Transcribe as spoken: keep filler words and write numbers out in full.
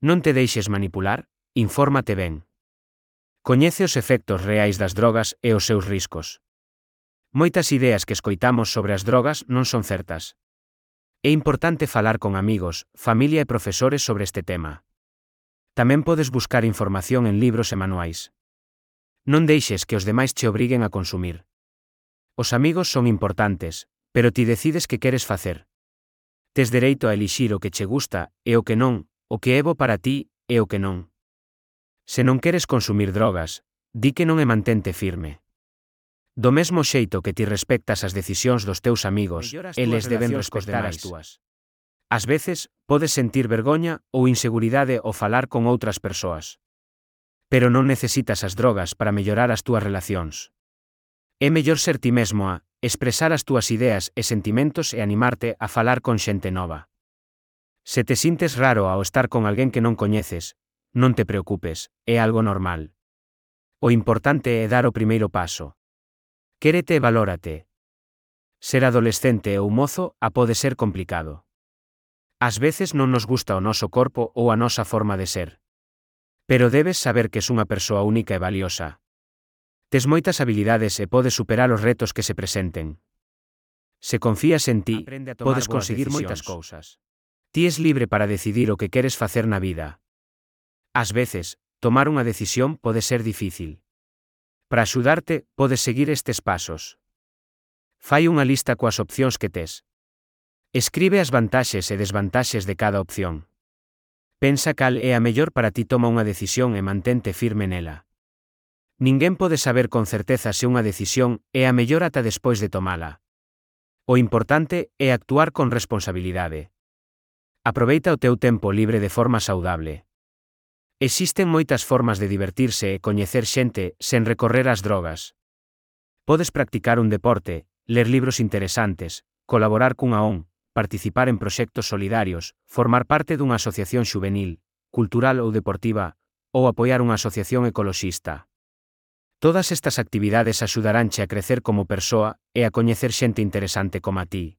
Non te deixes manipular, infórmate ben. Coñece os efectos reais das drogas e os seus riscos. Moitas ideas que escoitamos sobre as drogas non son certas. É importante falar con amigos, familia e profesores sobre este tema. Tamén podes buscar información en libros e manuais. Non deixes que os demais te obriguen a consumir. Os amigos son importantes, pero ti decides que queres facer. Tes dereito a elixir o que che gusta e o que non, o que é bo para ti e o que non. Se non queres consumir drogas, di que non e mantente firme. Do mesmo xeito que ti respectas as decisións dos teus amigos, eles deben respectar as túas. Ás veces, podes sentir vergoña ou inseguridade ao falar con outras persoas. Pero non necesitas as drogas para mellorar as túas relacións. É mellor ser ti mesmo a expresar as túas ideas e sentimentos e animarte a falar con xente nova. Se te sintes raro ao estar con alguén que non coñeces, non te preocupes, é algo normal. O importante é dar o primeiro paso. Quérete e valórate. Ser adolescente ou mozo a pode ser complicado. Ás veces non nos gusta o noso corpo ou a nosa forma de ser. Pero debes saber que es unha persoa única e valiosa. Tes moitas habilidades e podes superar os retos que se presenten. Se confías en ti, podes conseguir moitas cousas. Ti es libre para decidir o que queres facer na vida. Ás veces, tomar unha decisión pode ser difícil. Para axudarte, podes seguir estes pasos. Fai unha lista coas opcións que tes. Escribe as vantaxes e desvantaxes de cada opción. Pensa cal é a mellor para ti, toma unha decisión e mantente firme nela. Ninguén pode saber con certeza se unha decisión é a mellor ata despois de tomala. O importante é actuar con responsabilidade. Aproveita o teu tempo libre de forma saudable. Existen moitas formas de divertirse e coñecer xente sen recorrer ás drogas. Podes practicar un deporte, ler libros interesantes, colaborar cunha O N G, participar en proxectos solidarios, formar parte dunha asociación xuvenil, cultural ou deportiva, ou apoiar unha asociación ecoloxista. Todas estas actividades axudaranche a crecer como persoa e a coñecer xente interesante como a ti.